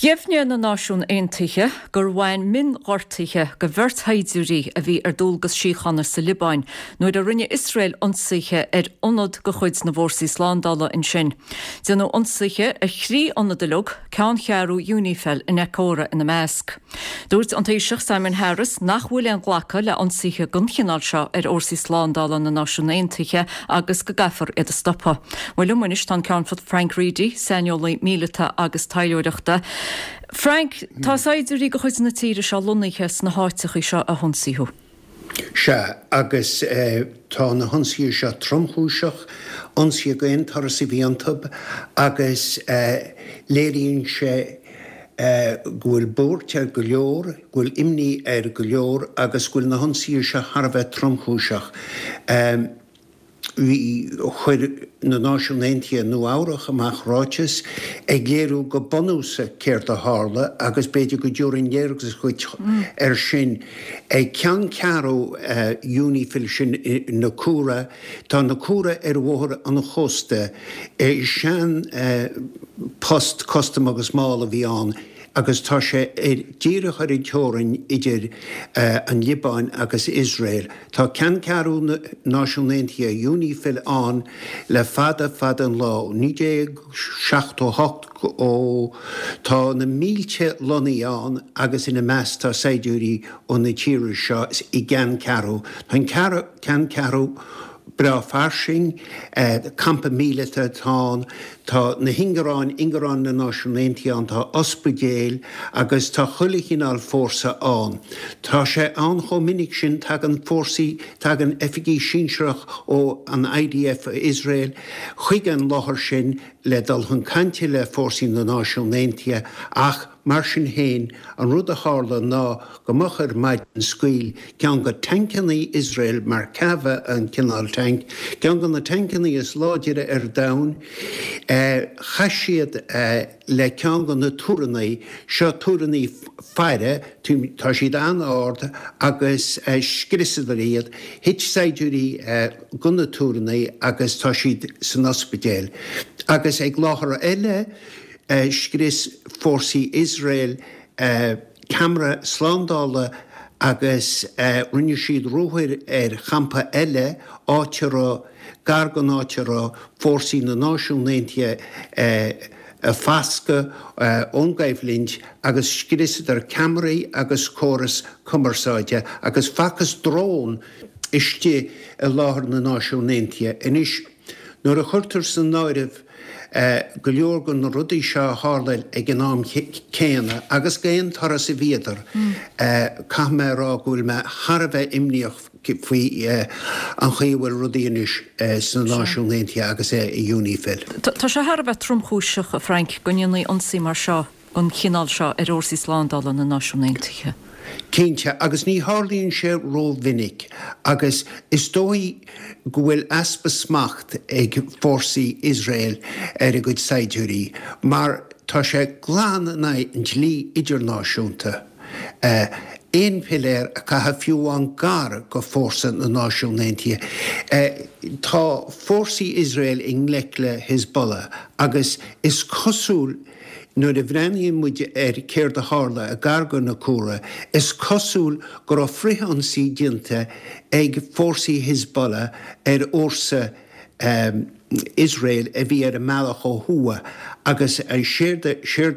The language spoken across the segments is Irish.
Dheimhnigh na Náisiúin Aontaithe gur bhain mionghortuithe go bheirt shaighdiúirí a bhí ar dualgas síochána sa Liobáin nuair a rinne Iosrael ionsaithe ar ionad de chuid na bhfórsaí slándála ansin. Déanadh ionsaithe ar thrí ionad uilig, ceanncheathrú Unifil in Naqoura ina measc. Dúirt an Taoiseach Simon Harris nach bhfuil aon ghlacadh le ionsaithe den chineál seo ar fhórsaí slándála na Náisiún Aontaithe agus go gcaithfear iad a stopadh. Bhuel liom anois tá an Ceannfort Frank Reidy, saineolaí míleata agus taidhleoireachta. Frank, tá saighdiúirí de chuid na tíre seo lonnaithe sna háiteachaí seo a hionsaíodh. Sea, agus tá na hionsaithe seo tromchúiseach, ionsaithe d'aon turas a bhí iontu agus léiríonn sé go bhfuil buairt ar go leor, go bhfuil imní ar go leor agus go bhfuil na hionsaithe seo thar a bheith tromchúiseach. Bhí, chuir na Náisiúin Aontaithe i Nua Eabhrach amach ráiteas ag léiriú go bunúsach céard a tharla agus b'fhéidir go dtabharfainn léargas dhuit air sin. Ag ceanncheathrú Unifil sin i Naqoura, tá Naqoura ar bhóthar an chósta, sean post custaim agus máil a bhí ann agus tá sé díreach ar an teorainn idir an Liobáin agus Iosrael. Tá ceanncheathrú na Náisiún Aontaithe, Unifil, ann le fada fada an lá, ó 1978 ó tá na mílte lonnaithe ann agus ina measc tá saighdiúirí ó na tíortha seo i gceanncheathrú. Tá an ceanncheathrú breá fairsing, campa míleata atá ann, tá na hingearáin, ingearáin na Náisiún Aontaithe ann, tá ospidéil agus tá chuile chineál fórsa ann. Tá sé ann chomh minic sin, tagann fórsaí, tagann oifigigh sinsearach ó an IDF Iosrael chuig an láthair sin le dul chun cainte le fórsaí na Náisiún Aontaithe ach mar sin féin an rud a tharla ná Go moch ar maidin scaoil ceann de tancannaí Iosrael, Merkava an cineál tanc, ceann de na tancannaí is láidire ar domhan, chas siad le ceann de na túrannaí, seo túrannaí faire, tá siad an-ard agus scriosadar iad, thit saighdiúirí de na túrannaí agus tá siad san ospidéal. Agus ag láthair eile scrios fórsaí Iosrael, ceamara slándála agus rinne siad ruathar ar champa eile, áit a raibh, gar don áit a raibh fórsaí na Náisiún Aontaithe ag foscadh ón gcoimhlint agus scriosadar ceamaraí agus córas cumarsáide agus facthas drón istigh i láthair na Náisiún Aontaithe. Anois, nuair a chuirtear san áireamh go leor de na rudaí seo a tharla ag an am céanna agus d'aon turas a bhíodar, caithfidh mé a rá go bhfuil mé thar a bheith imníoch faoi an chaoi a bhfuil rudaí anois sna Náisiúin Aontaithe agus i Unifil. Tá sé thar a bheith tromchúiseach, a Frank, go ndéanfaí ionsaí mar seo. den chineál seo ar fhórsaí slándála na Náisiún Aontaithe. Cinnte, agus ní tharlaíonn sé rómhinic, agus is dóigh go bhfuil easpa smacht ag fórsaí Iosrael ar a gcuid saighdiúirí, mar tá sé glan in aghaidh an dlí idirnáisiúnta aon philéar a chaitheamh fiú amháin gar go fórsa na Náisiún Aontaithe. Tá fórsaí Iosrael i ngleic le Hezbollah agus is cosúil, Nuair a bhreathnaíonn muid ar céard a tharla i gar go Naqoura, is cosúil go raibh frith-ionsaí déanta ag fórsaí Hezbollah ar fhórsa Iosrael a bhí ar a mbealach ó thuaidh agus séard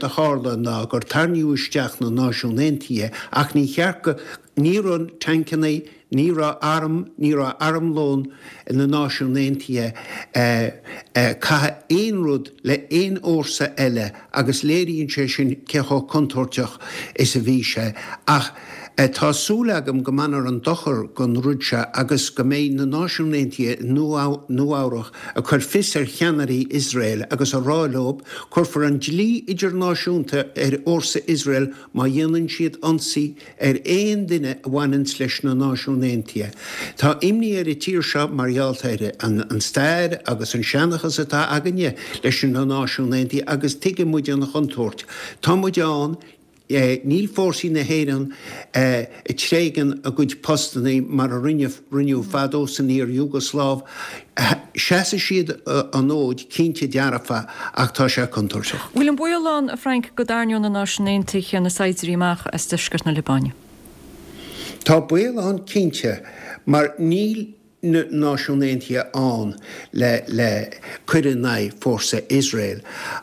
a tharla ná gur tarraingíodh isteach na Náisiúin Aontaithe ach ní cheart go Ní raibh tancanna, ní raibh arm, ní raibh armlón na Náisiún Aontaithe ag caitheamh aon rud le aon fhórsa eile agus léiríonn sé sin cé chomh contúirteach is a bhí sé. Ach tá súil agam go mbainfear an dochar den rud seo agus go mbeidh na Náisiúin Aontaithe i Nua Eabhrach ag cur fios ar cheannairí Iosrael agus a rá leo, cuirfear an dlí idirnáisiúnta ar fhórsa Iosrael má dhéanann siad ionsaí ar aon duine a bhaineanns leis na Náisiúin Aontaithe. Tá imní ar an tír seo mar gheall ar an stair agus an seanchas atá againne leis na Náisiúin Aontaithe agus tuigeann muid an chontúirt. Tá muid ann. Níl fórsaí na hÉireann ag tréigean a gcuid postanna mar a rinneadh fadó san iar-Iúgosláiv. Seasfaidh siad an fhóid, cinnte dearfa, ach tá sé contúirteach. Bhfuil an baol ann, a Frank, go dtarraingeodh na Náisiúin Aontaithe na saighdiúirí amach as deisceart na Liobáine? Tá baol ann cinnte, mar níl na Náisiúin Aontaithe ann le le cur in aghaidh fórsa Iosrael.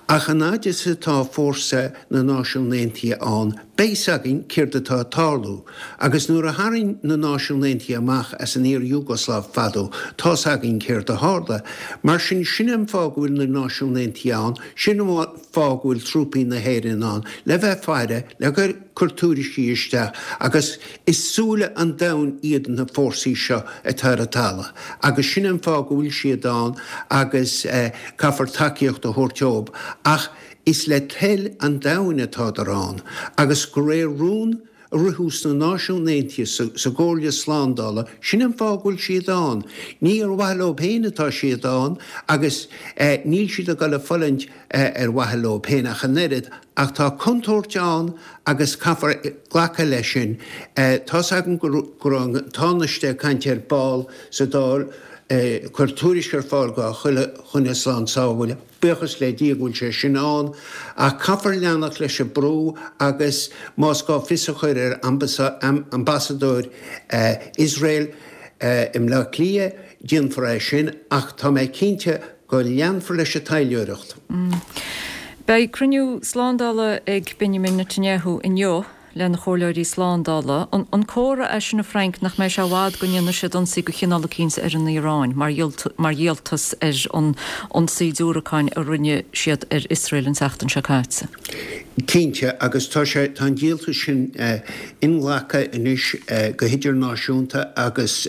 Ach an fhaid is atá fórsa na Náisiún Aontaithe ann, beidh 's againn céard atá ag tarlú. Agus nuair a tharraing na Náisiúin Aontaithe amach as an iar-Iúgosláiv fadó, tá's againn céard a tharla. Mar sin, sin an fáth go bhfuil na Náisiúin Aontaithe ann, sin an fáth go bhfuil trúpaí na hÉireann ann, le bheith ag faire, le cur tuairiscí isteach agus is súile an domhain iad na fórsaí seo atá ar an talamh agus sin an fáth go bhfuil siad ann agus caithfear tacaíocht a thabhairt dóibh ach is le toil an domhain atádar ann agus de réir rún a ritheadh sna Náisiúin Aontaithe sa gComhairle Slándála, sin an fáth go bhfuil siad ann. Ní ar mhaithe leo féin atá siad ann agus níl siad ag dul ag fulaingt ar mhaithe leo féin ach an oiread, ach tá contúirt ann agus caithfear glacadh leis sin. Tá's agam go raibh an Tánaiste ag caint ar ball sa Dáil, cuir tuairisc ar fáil do chuile dhuine slán sábháilte. Buíochas le Dia go bhfuil sé sin ann, ach caithfear leanacht leis an brú agus más gá fios a chur ar ambasadóir Iosrael i mBleá Cliath, déanfar é sin, ach tá mé cinnte go leanfar leis an taidhleoireacht. Beidh cruinniú slándála ag Benjamin Netanyahu inniu lena chomhairleoirí slándála. An comhartha é sin, a Frank, nach mbeidh sé i bhfad go ndéanfaidh siad ionsaí de chineál eicínt ar an Iaráin mar dhíoltas ar an ionsaí diúracáin a rinne siad ar Iosrael an tseachtain seo caite? Cinnte, agus tá sé, tá an díoltas sin inghlactha anois go hidirnáisiúnta agus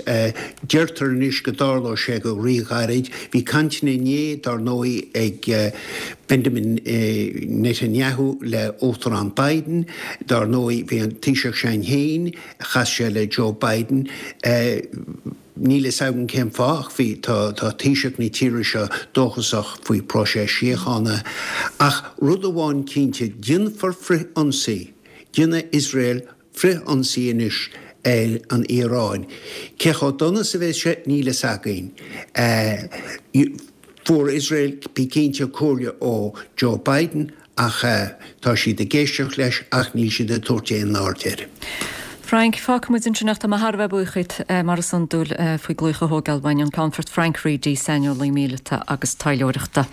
deirtear anois go dtarlóidh sé go ríghairid. Bhí cainteanna inné, dar ndóigh, ag Benjamin Netanyahu le Uachtarán Biden. Dar ndóigh, bhí an Taoiseach Sinn Féin, chas sé le Joe Biden. Níl fhios agam cén fáth ach bhí, tá, tá Taoiseach na tíre seo dóchasach faoi próiseas síochána. Ach rud amháin cinnte, déanfar frith-ionsaí, déanfaidh Iosrael frith-ionsaí anois ar an Iaráin. Cé chomh dona is a bheas sé, níl fhios againn. Fuair Iosrael, bí cinnte, comhairle ó Joe Biden Ach tá siad ag éisteacht leis ach níl siad ag tabhairt aon aird air. Frank, Fágfaidh muid ansin ach tá mé thar a bheith buíoch díot, mar is iondúil, faoi glaoch a thógáil uainn, an Ceannfort Frank Reidy, saineolaí míleata agus taidhleoireachta.